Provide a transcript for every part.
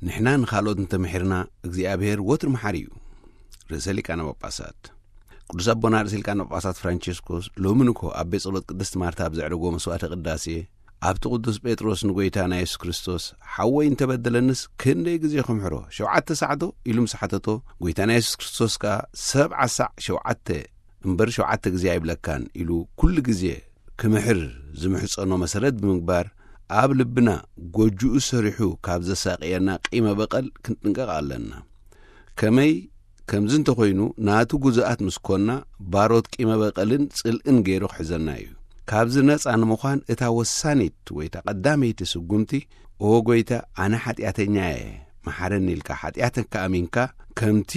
ንሕና ንኻልኦት እንተምሒርና እግዚኣብሔር ወትሩ መሓሪ እዩ። ርእሰ ሊቃነ ጳጳሳት ቅዱስ ኣቦና ርእሰ ሊቃነ ጳጳሳት ፍራንቸስኮስ ሎሚ ንኮ ኣብ ቤት ጸሎት ቅድስት ማርታ ኣብ ዘዕረጎ መስዋዕተ ቅዳሴ፣ ኣብቲ ቅዱስ ጴጥሮስ ንጎይታና የሱስ ክርስቶስ፣ ሓወይ እንተበደለንስ ክንደይ ግዜ ክምሕሮ? ሸውዓተ ሳዕዶ? ኢሉ ምስ ሓተቶ፣ ጎይታና የሱስ ክርስቶስ ከኣ ሰብዓ ሳዕ ሸውዓተ እምበር ሸውዓተ ግዜ ኣይብለካን ኢሉ ኩሉ ግዜ ክምሕር ዝምሕጸኖ መሰረት ብምግባር፣ ኣብ ልብና ጎጅኡ ሰሪሑ ካብ ዘሳቅየና ቂመ በቐል ክንጥንቀቕ ኣለና። ከመይ ከምዚ እንተኾይኑ፣ ናቱ ግዙኣት ምስ ኮና፣ ባሮት ቂመ በቐልን ጽልእን ገይሩ ክሕዘና እዩ። ካብዚ ነጻ ንምዃን እታ ወሳኒት ወይ እታ ቀዳመይቲ ስጉምቲ፣ "ኦ ጎይታ፣ ኣነ ሓጢኣተኛ እየ፣ መሓረኒ" ኢልካ ሓጢኣትካ ኣሚንካ፣ ከምቲ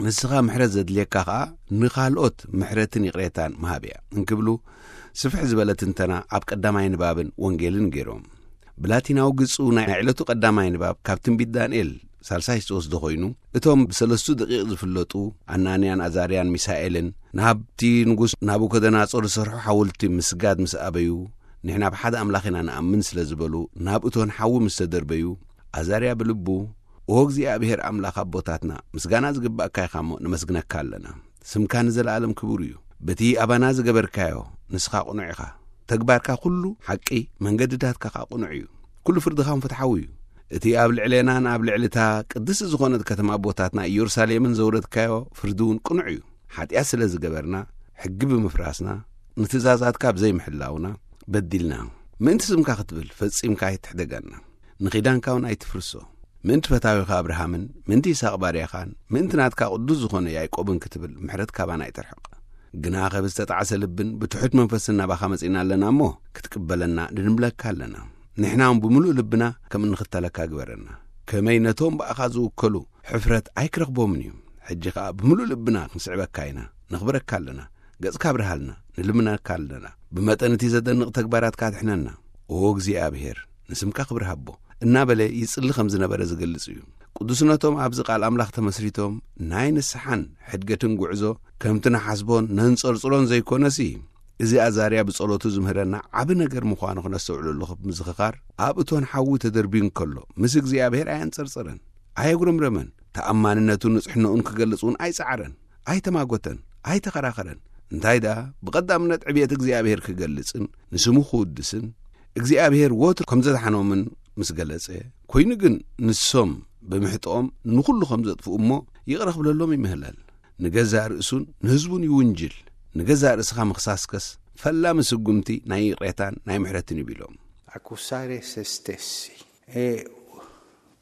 ንስኻ ምሕረት ዘድልየካ ኸኣ ንኻልኦት ምሕረትን ይቕሬታን ምሃብ እያ እንክብሉ፣ ስፍሕ ዝበለ ትንተና ኣብ ቀዳማይ ንባብን ወንጌልን ገይሮም። ብላቲናዊ ግጹ ናይ ዕለቱ ቀዳማይ ንባብ ካብ ትንቢት ዳንኤል ሳልሳይ ዝተወስደ ኮይኑ፣ እቶም ብሰለስቱ ደቂቕ ዝፍለጡ ኣናንያን ኣዛርያን ሚሳኤልን ናብቲ ንጉስ ናቡከደናጾር ዝሰርሖ ሓወልቲ ምስጋድ ምስ ኣበዩ፣ "ንሕና ብሓደ ኣምላኽ ኢና ንኣምን" ስለ ዝበሉ፣ ናብ እቶን ሓዊ ምስ ተደርበዩ፣ ኣዛርያ ብልቡ፣ "ኦ እግዚኣብሔር ኣምላኽ ኣቦታትና፣ ምስጋና ዝግባእካ ኢኻ እሞ፣ ነመስግነካ ኣለና። ስምካ ንዘለኣለም ክቡር እዩ። በቲ ኣባና ዝገበርካዮ፣ ንስኻ ቅኑዕ ኢኻ። ተግባርካ ኩሉ ሓቂ፣ መንገድታትካ ኸኣ ቅኑዕ እዩ። ኩሉ ፍርድኻ እውን ፍትሓዊ እዩ። እቲ ኣብ ልዕሌናን ኣብ ልዕሊ እታ ቅድስቲ ዝኾነት ከተማ ኣቦታትና ኢየሩሳሌምን ዘውረድካዮ ፍርዲ እውን ቅኑዕ እዩ። ሓጢኣት ስለ ዝገበርና፣ ሕጊ ብምፍራስና፣ ንትእዛዛትካ ብዘይምሕላውና በዲልና። ምእንቲ ስምካ ክትብል ፈጺምካ ኣይትሕደገና። ንኺዳንካ እውን ኣይትፍርሶ። ምእንቲ ፈታዊኻ ኣብርሃምን ምእንቲ ይስሐቅ ባርያኻን ምእንቲ ናትካ ቅዱስ ዝኾነ ያዕቆብን ክትብል ምሕረት ካባና ኣይትርሕቕ። ግና ከብ ዝተጣዕሰ ልብን ብትሑት መንፈስን ናባኻ መጺእና ኣለና እሞ፣ ክትቅበለና ንድምለካ ኣለና። ንሕና እውን ብምሉእ ልብና ከም እንኽተለካ ግበረና። ከመይ ነቶም ብኣኻ ዝውከሉ ሕፍረት ኣይክረኽቦምን እዩ። ሕጂ ኸኣ ብምሉእ ልብና ክንስዕበካ ኢና፣ ነኽብረካ ኣለና። ገጽካ ኣብርሃልና፣ ንልምነካ ኣለና። ብመጠን እቲ ዘደንቕ ተግባራትካ ኣድሕነና። ኦ እግዚኣብሔር፣ ንስምካ ክብሪ ሃቦ፣ እናበለ ይጽሊ ከም ዝነበረ ዝገልጽ እዩ። ቅዱስነቶም ኣብዚ ቃል ኣምላኽ ተመስሪቶም ናይ ንስሓን ሕድገትን ጉዕዞ ከምቲ ንሓስቦን ነንጸርጽሮን ዘይኮነሲ፣ እዚ ኣዛርያ ብጸሎቱ ዝምህረና ዓቢ ነገር ምዃኑ ክነስተውዕለሉ ምዝኽኻር፣ ኣብ እቶን ሓዊ ተደርብዩ እንከሎ፣ ምስ እግዚኣብሔር ኣየንጸርጸረን፣ ኣየጉረምረመን። ተኣማንነቱን ንጽሕናኡን ክገልጽ እውን ኣይጸዓረን፣ ኣይተማጎተን፣ ኣይተኸራኸረን። እንታይ ደኣ፣ ብቐዳምነት ዕብየት እግዚኣብሔር ክገልጽን ንስሙ ክውድስን፣ እግዚኣብሔር ወትሩ ከም ዘድሓኖምን ምስ ገለጸ፣ ኮይኑ ግን ንሶም ብምሕጥኦም ንኹሉ ከም ዘጥፍኡ እሞ ይቕረ ክብለሎም ይምህለል። ንገዛእ ርእሱን ንህዝቡን ይውንጅል። ንገዛእ ርእስኻ ምኽሳስከስ ፈላሚ ስጉምቲ ናይ ይቕሬታን ናይ ምሕረትን እዩ ቢሎም። Accusare se stessi è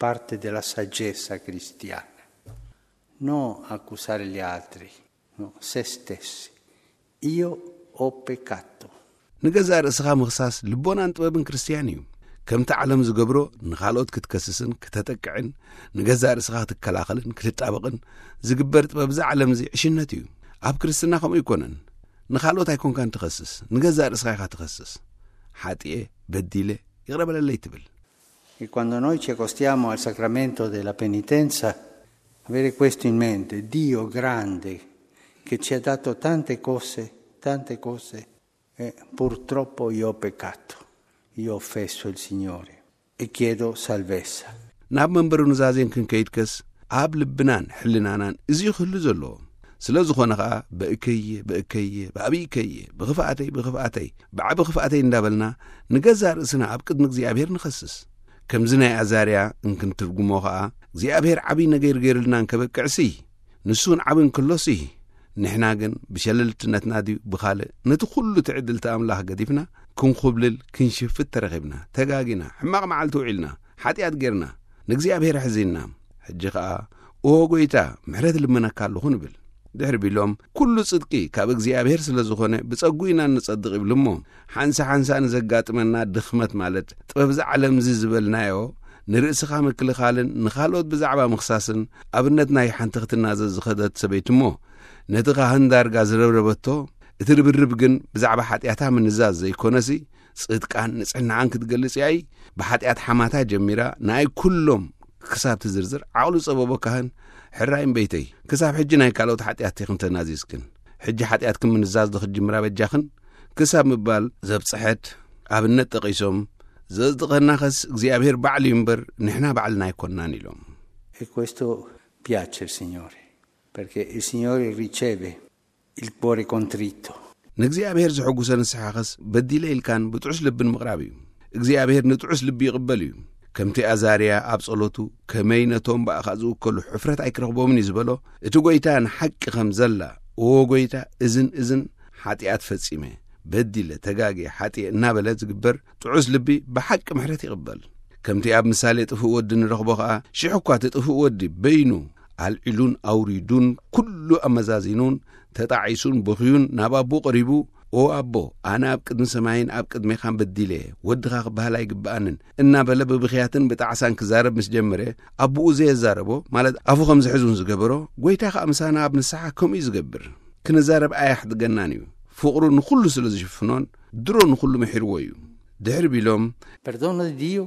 parte della saggezza cristiana, non accusare gli altri, no, se stessi. Io ho peccato. ንገዛእ ርእስኻ ምኽሳስ ልቦናን ጥበብን ክርስትያን እዩ። ከምቲ ዓለም ዝገብሮ ንኻልኦት ክትከስስን ክተጠቅዕን ንገዛእ ርእስኻ ክትከላኸልን ክትጣበቕን ዝግበር ጥበብ እዛ ዓለም እዚ ዕሽነት እዩ። ኣብ ክርስትና ከምኡ ኣይኮነን። ንኻልኦት ኣይኮንካን ትኸስስ፣ ንገዛእ ርእስኻ ኢኻ ትኸስስ። ሓጢኤ፣ በዲለ፣ ይቕረ በለለይ ትብል። E quando noi ci accostiamo al sacramento della penitenza, avere questo in mente, Dio grande, che ci ha dato tante cose, tante cose, e purtroppo io ho peccato, io ho offeso il Signore e chiedo salvezza. ናብ መንበሩ ኑዛዜን ክንከይድከስ ኣብ ልብናን ሕልናናን እዚ ክህሉ ዘለዎ። ስለ ዝኾነ ኸኣ፣ "በእከየ፣ በእከየ፣ ብኣቢእከየ፣ ብኽፍኣተይ፣ ብኽፍኣተይ፣ ብዓቢ ኽፍኣተይ" እንዳበልና ንገዛእ ርእስና ኣብ ቅድሚ እግዚኣብሔር ንኸስስ። ከምዚ ናይ ኣዛርያ እንክንትርጉሞ ኸኣ፣ እግዚኣብሔር ዓቢ ነገር ገይሩልና እንከበቅዕሲ፣ ንሱ እውን ዓቢ እንክሎሲ፣ ንሕና ግን ብሸለልትነትና ድዩ ብኻልእ ነቲ ኩሉ ትዕድልቲ ኣምላኽ ገዲፍና ክንኹብልል ክንሽፍት ተረኺብና፣ ተጋጊና፣ ሕማቕ መዓልቲ ውዒልና፣ ሓጢኣት ጌርና፣ ንእግዚኣብሔር ኣሕዚንና። ሕጂ ኸኣ፣ "ኦ ጐይታ፣ ምሕረት እልምነካ ኣለኹ" ንብል። ድሕሪ ቢሎም፣ "ኩሉ ጽድቂ ካብ እግዚኣብሔር ስለ ዝኾነ፣ ብጸጉ ኢና እንጸድቕ" ይብሉ እሞ፣ ሓንሳ ሓንሳ ንዘጋጥመና ድኽመት፣ ማለት ጥበብ እዛ ዓለም እዚ ዝበልናዮ፣ ንርእስኻ ምክልኻልን ንኻልኦት ብዛዕባ ምኽሳስን ኣብነት ናይ ሓንቲ ክትናዘዝ ዝኸደት ሰበይቲ እሞ፣ ነቲ ካህን ዳርጋ ዝረብረበቶ፣ እቲ ርብርብ ግን ብዛዕባ ሓጢኣታ ምንዛዝ ዘይኮነሲ፣ ጽድቃን ንጽሕናኣን ክትገልጽ እያ። ብሓጢኣት ሓማታ ጀሚራ፣ ንኣይ ኩሎም ክሳብ ትዝርዝር ዓቕሉ ዝጸበቦ ካህን፣ "ሕራይ እምበይተይ፣ ክሳብ ሕጂ ናይ ካልኦት ሓጢኣት ኢኽን ተናዚዝክን፣ ሕጂ ሓጢኣትክን ምንዛዝ ዶ ክትጅምራ በጃኽን?" ክሳብ ምባል ዘብጽሐት ኣብነት ጠቒሶም፣ ዘጽድቐናኸስ እግዚኣብሔር ባዕሉ እዩ እምበር፣ ንሕና ባዕልና ኣይኮንናን ኢሎም። E questo piace al Signore, perché il Signore riceve il cuore contrito. ንእግዚኣብሔር ዘሐጉሰ ንስሓኸስ በዲለ ኢልካን ብጥዑስ ልብን ምቕራብ እዩ። እግዚኣብሔር ንጥዑስ ልቢ ይቕበል እዩ። ከምቲ ኣዛርያ ኣብ ጸሎቱ፣ ከመይ ነቶም ብኣኻ ዝውከሉ ሕፍረት ኣይክረኽቦምን እዩ ዝበሎ፣ እቲ ጐይታ ንሓቂ ከም ዘላ፣ እዎ ጐይታ፣ እዝን እዝን ሓጢኣት ፈጺመ፣ በዲለ፣ ተጋግየ፣ ሓጢኤ እናበለ ዝግበር ጥዑስ ልቢ ብሓቂ ምሕረት ይቕበል። ከምቲ ኣብ ምሳሌ ጥፉእ ወዲ ንረኽቦ ኸኣ፣ ሽሕ እኳ እቲ ጥፉእ ወዲ በይኑ ኣልዒሉን ኣውሪዱን ኩሉ ኣመዛዚኑን ተጣዒሱን በኽዩን ናብ ኣቦኡ ቀሪቡ፣ "ኦ ኣቦ፣ ኣነ ኣብ ቅድሚ ሰማይን ኣብ ቅድሜኻን በዲለ፣ ወድኻ ክበሃል ኣይግብኣንን" እናበለ ብብኽያትን ብጣዕሳን ክዛረብ ምስ ጀመረ፣ ኣቦኡ ዘየዛረቦ፣ ማለት ኣፉ ከም ዝሕዝ እውን ዝገበሮ፣ ጐይታ ኸኣ ምሳና ኣብ ንስሓ ከምኡ እዩ ዝገብር። ክንዛረብ ኣያሕድገናን እዩ። ፍቕሩ ንኹሉ ስለ ዝሽፍኖን ድሮ ንኹሉ ምሒርዎ እዩ። ድሕሪ ቢሎም፣ Perdono di Dio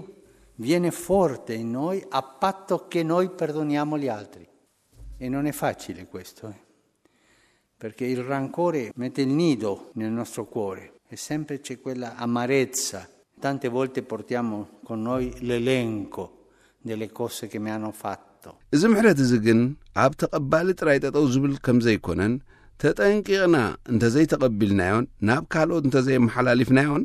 viene forte in noi a patto che noi perdoniamo gli altri. E non è facile questo, eh. Perché il rancore mette il nido nel nostro cuore e sempre c'è quella amarezza. Tante volte portiamo con noi l'elenco delle cose che mi hanno fatto. እዚ ምሕረት እዚ ግን ኣብ ተቐባሊ ጥራይ ጠጠው ዝብል ከም ዘይኮነን፣ ተጠንቂቕና እንተዘይተቐቢልናዮን ናብ ካልኦት እንተዘየመሓላሊፍናዮን፣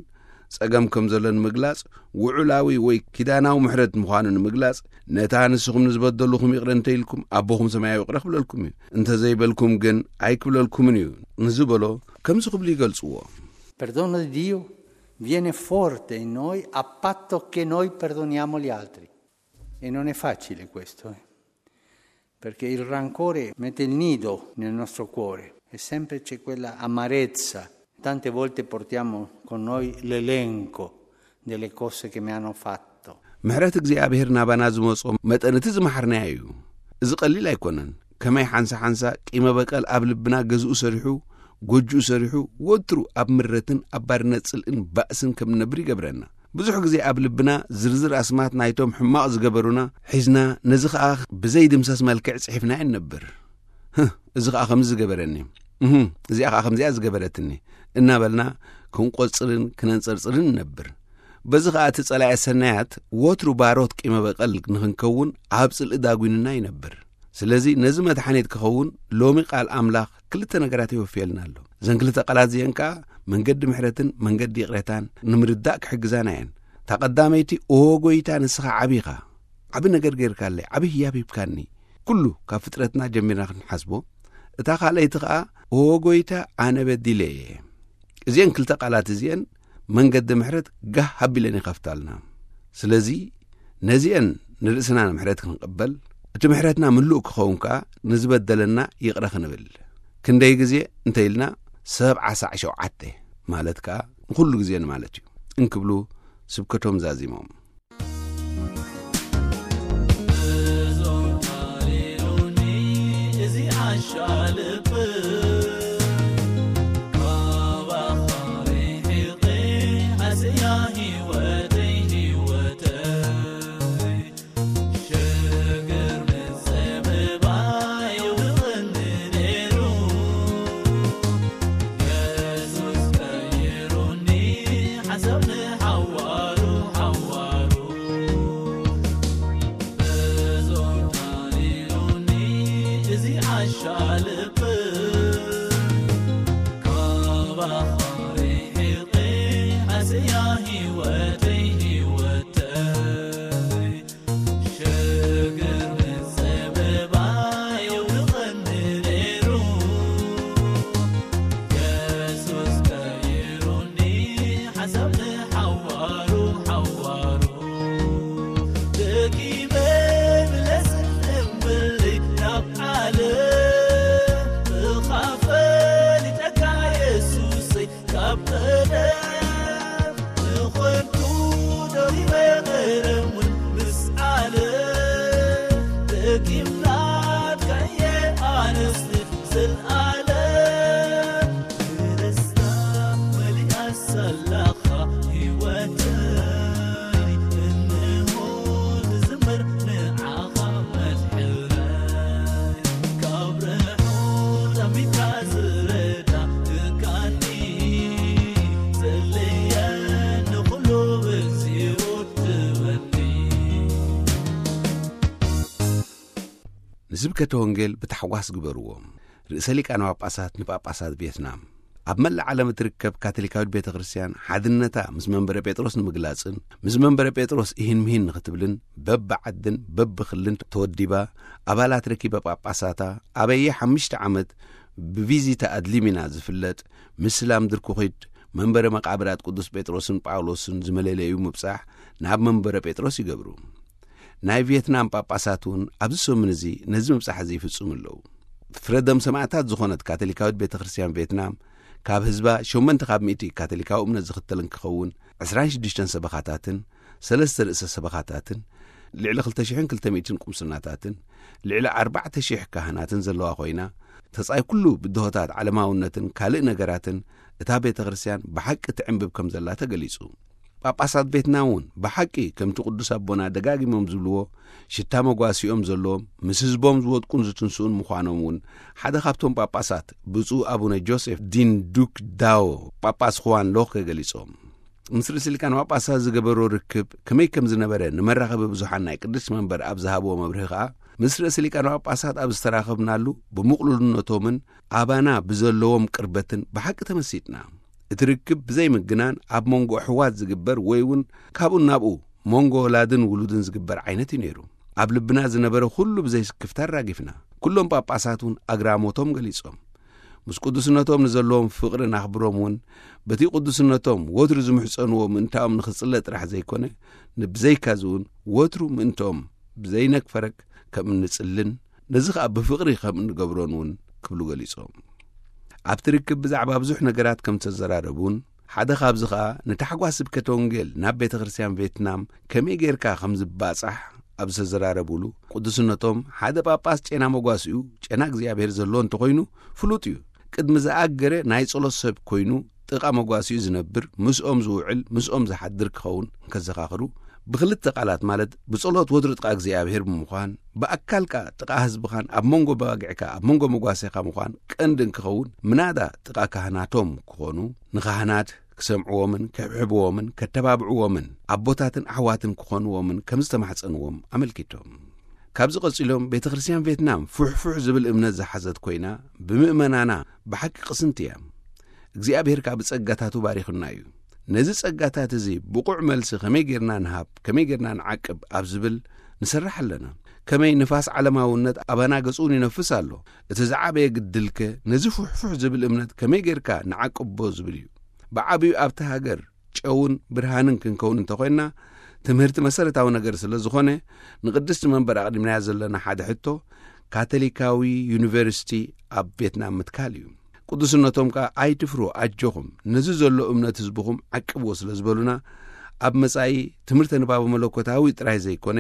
ጸገም ከም ዘሎ ንምግላጽ፣ ውዑላዊ ወይ ኪዳናዊ ምሕረት ምዃኑ ንምግላጽ፣ ነታ ንስኹም ንዝበደሉኹም ይቕረ እንተኢልኩም፣ ኣቦኹም ሰማያዊ ይቕረ ክብለልኩም እዩ። እንተዘይበልኩም ግን ኣይክብለልኩምን እዩ ንዝበሎ ከምዚ ክብሉ ይገልጽዎ። Perdono di Dio viene forte in noi a patto che noi perdoniamo gli altri. E non è facile questo, eh. Perché il rancore mette il nido nel nostro cuore e sempre c'è quella amarezza. Tante volte portiamo con noi l'elenco delle cose che mi hanno fatto. ምሕረት እግዚኣብሔር ናባና ዝመጾ መጠን እቲ ዝመሓርናዮ እዩ። እዚ ቀሊል ኣይኮነን። ከመይ ሓንሳ ሓንሳ ቂመ በቀል ኣብ ልብና ገዝኡ ሰሪሑ፣ ጎጅኡ ሰሪሑ፣ ወትሩ ኣብ ምረትን ኣብ ባርነት ጽልእን ባእስን ከም ንነብር ይገብረና። ብዙሕ ግዜ ኣብ ልብና ዝርዝር ኣስማት ናይቶም ሕማቕ ዝገበሩና ሒዝና፣ ነዚ ኸኣ ብዘይድምሰስ መልክዕ ጽሒፍናዮ ንነብር። "ህህ፣ እዚ ኸኣ ከምዚ ዝገበረኒ፣ እህ፣ እዚኣ ኸኣ ከምዚኣ ዝገበረትኒ" እናበልና ክንቆጽርን ክነንጸርጽርን ንነብር። በዚ ኸኣ እቲ ጸላኢ ሰናያት ወትሩ ባሮት ቂመ በቐል ንኽንከውን ኣብ ጽልኢ ዳጒንና ይነብር። ስለዚ ነዚ መድሓኒት ክኸውን ሎሚ ቃል ኣምላኽ ክልተ ነገራት የወፍየልና ኣሎ። እዘን ክልተ ቃላት እዚአን ከኣ መንገዲ ምሕረትን መንገዲ ይቕሬታን ንምርዳእ ክሕግዛና እየን። እታ ቀዳመይቲ፣ "ኦ ጐይታ፣ ንስኻ ዓቢ ኢኻ። ዓቢ ነገር ጌርካለይ፣ ዓቢ ህያብ ሂብካኒ። ኩሉ ካብ ፍጥረትና ጀሚርና ክንሓስቦ።" እታ ካልኣይቲ ከኣ፣ "ኦ ጐይታ፣ ኣነ በዲለ እየ።" እዚአን ክልተ ቃላት እዚአን መንገዲ ምሕረት ጋህ ኣቢለን ይኸፍታልና። ስለዚ ነዚአን ንርእስና ንምሕረት ክንቕበል፣ እቲ ምሕረትና ምሉእ ክኸውን ከኣ ንዝበደለና ይቕረ ክንብል። ክንደይ ግዜ እንተ ኢልና፣ ሰብዓ ሳዕ ሸውዓተ ማለት ከኣ ንኹሉ ግዜ ንማለት እዩ እንክብሉ ስብከቶም ዛዚሞም። ንስብከተ ወንጌል ብታሕጓስ ግበርዎ። ርእሰ ሊቃነ ጳጳሳት ንጳጳሳት ቪየትናም፣ ኣብ መላእ ዓለም እትርከብ ካቶሊካዊት ቤተ ክርስቲያን ሓድነታ ምስ መንበረ ጴጥሮስ ንምግላጽን ምስ መንበረ ጴጥሮስ ኢሂን ምሂን ንኽትብልን፣ በብዓድን በብኽልን ተወዲባ ኣባላት ረኪበ ጳጳሳታ፣ ኣበየ ሓሙሽተ ዓመት ብቪዚታ ኣድሊሚና ዝፍለጥ ምስላም ድርኩኺድ መንበረ መቓብራት ቅዱስ ጴጥሮስን ጳውሎስን ዝመለለዩ ምብጻሕ ናብ መንበረ ጴጥሮስ ይገብሩ። ናይ ቪየትናም ጳጳሳት እውን ኣብዚ ሰሙን እዚ ነዚ ምብጻሕ እዚ ይፍጽሙ ኣለዉ። ፍረደም ሰማዕታት ዝኾነት ካቶሊካዊት ቤተ ክርስቲያን ቪየትናም፣ ካብ ህዝባ ሸሞንተ ካብ ሚእቲ ካቶሊካዊ እምነት ዝኽተል እንክኸውን፣ ዕስራን ሽዱሽተን ሰበኻታትን ሰለስተ ርእሰ ሰበኻታትን፣ ልዕሊ ክልተ ሽሕን ክልተ ሚእትን ቁምስናታትን ልዕሊ ኣርባዕተ ሽሕ ካህናትን ዘለዋ ኮይና፣ ተጻይ ኩሉ ብድሆታት ዓለማውነትን ካልእ ነገራትን እታ ቤተ ክርስቲያን ብሓቂ ትዕንብብ ከም ዘላ ተገሊጹ። ጳጳሳት ቪየትናም እውን ብሓቂ ከምቲ ቅዱስ ኣቦና ደጋጊሞም ዝብልዎ፣ ሽታ መጓሲኦም ዘለዎም፣ ምስ ህዝቦም ዝወድቁን ዝትንስኡን ምዃኖም እውን ሓደ ካብቶም ጳጳሳት ብፁዕ ኣቡነ ጆሴፍ ዲን ዱክ ዳዎ ጳጳስ ኹዋን ሎኸ ገሊጾም። ምስ ርእሲ ሊቃነ ጳጳሳት ዝገበሮ ርክብ ከመይ ከም ዝነበረ ንመራኸቢ ብዙሓን ናይ ቅድስት መንበር ኣብ ዝሃብዎ መብርሂ ከኣ፣ ምስ ርእሲ ሊቃነ ጳጳሳት ኣብ ዝተራኸብናሉ ብምቕሉልነቶምን ኣባና ብዘለዎም ቅርበትን ብሓቂ ተመሲጥና። እቲ ርክብ ብዘይ ምግናን ኣብ መንጎ ኣሕዋት ዝግበር ወይ እውን ካብኡ ናብኡ መንጎ ወላድን ውሉድን ዝግበር ዓይነት እዩ ነይሩ። ኣብ ልብና ዝነበረ ኩሉ ብዘይ ስክፍታ ኣራጊፍና። ኩሎም ጳጳሳት እውን ኣግራሞቶም ገሊጾም። ምስ ቅዱስነቶም ንዘለዎም ፍቕርን ኣኽብሮም እውን በቲ ቅዱስነቶም ወትሩ ዝምሕጸንዎ ምእንታኦም ንኽጽለ ጥራሕ ዘይኮነ፣ ንብዘይካዚ እውን ወትሩ ምእንትኦም ብዘይነግፈረግ ከም እንጽልን ነዚ ኸኣ ብፍቕሪ ከም እንገብሮን እውን ክብሉ ገሊጾም። ኣብቲ ርክብ ብዛዕባ ብዙሕ ነገራት ከም ዝተዘራረቡን ሓደ ካብዚ ኸኣ ንታሕጓስ ስብከተ ወንጌል ናብ ቤተ ክርስቲያን ቬትናም ከመይ ጌርካ ከም ዝባጻሕ ኣብ ዝተዘራረቡሉ፣ ቅዱስነቶም ሓደ ጳጳስ ጨና መጓሲኡ ጨና እግዚኣብሔር ዘለዎ እንተኾይኑ ፍሉጥ እዩ። ቅድሚ ዝኣገረ ናይ ጸሎት ሰብ ኮይኑ ጥቓ መጓሲኡ ዝነብር፣ ምስኦም ዝውዕል፣ ምስኦም ዝሓድር ክኸውን እንከዘኻኽሩ፣ ብኽልተ ቃላት ማለት ብጸሎት ወትሩ ጥቓ እግዚኣብሔር ብምዃን፣ ብኣካልካ ጥቓ ህዝብኻን ኣብ መንጎ በጋግዕካ ኣብ መንጎ መጓሴኻ ምዃን ቀንዲ እንክኸውን፣ ምናዳ ጥቓ ካህናቶም ክኾኑ፣ ንኻህናት ክሰምዕዎምን ክሕብሕብዎምን ከተባብዕዎምን ኣቦታትን ኣሕዋትን ክኾንዎምን ከም ዝተማሕጸንዎም ኣመልኪቶም። ካብዚ ቀጺሎም ቤተ ክርስቲያን ቬትናም ፍሕፍሕ ዝብል እምነት ዝሓዘት ኮይና ብምእመናና ብሓቂ ቅስንቲ እያ። እግዚኣብሔር ከኣ ብጸጋታቱ ባሪኹና እዩ። ነዚ ጸጋታት እዚ ብቑዕ መልሲ ከመይ ጌርና ንሃብ፣ ከመይ ጌርና ንዓቅብ ኣብ ዝብል ንሰርሕ ኣለና። ከመይ ንፋስ ዓለማውነት ኣባና ገጹን ይነፍስ ኣሎ። እቲ ዝዓበየ ግድልከ ነዚ ፍሕፍሕ ዝብል እምነት ከመይ ጌርካ ንዓቅቦ ዝብል እዩ። ብዓብዩ ኣብቲ ሃገር ጨውን ብርሃንን ክንከውን እንተኾይንና ትምህርቲ መሰረታዊ ነገር ስለ ዝኾነ ንቅድስቲ መንበር ኣቕዲምናያ ዘለና ሓደ ሕቶ ካቶሊካዊ ዩኒቨርሲቲ ኣብ ቬትናም ምትካል እዩ። ቅዱስነቶም ከኣ ኣይትፍሩ ኣጆኹም ነዚ ዘሎ እምነት ህዝብኹም ዓቅብዎ ስለ ዝበሉና ኣብ መጻኢ ትምህርተ ንባቡ መለኮታዊ ጥራይ ዘይኮነ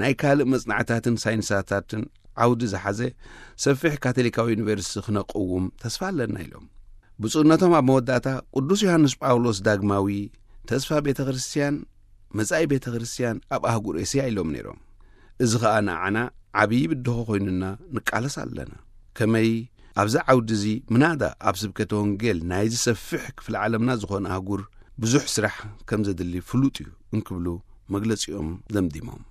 ናይ ካልእ መጽናዕታትን ሳይንሳታትን ዓውዲ ዝሓዘ ሰፊሕ ካቶሊካዊ ዩኒቨርሲቲ ክነቅውም ተስፋ ኣለና ኢሎም። ብፁዕነቶም ኣብ መወዳእታ ቅዱስ ዮሃንስ ጳውሎስ ዳግማዊ ተስፋ ቤተ ክርስቲያን መጻኢ ቤተ ክርስቲያን ኣብ ኣህጉር ኤስያ ኢሎም ነይሮም። እዚ ኸኣ ንዓና ዓብዪ ብድሆ ኮይኑና ንቃለስ ኣለና። ከመይ ኣብዚ ዓውዲ እዚ ምናዳ ኣብ ስብከተ ወንጌል ናይ ዝሰፍሕ ክፍሊ ዓለምና ዝኾነ ኣህጉር ብዙሕ ስራሕ ከም ዘድሊ ፍሉጥ እዩ እንክብሉ መግለጺኦም ደምዲሞም።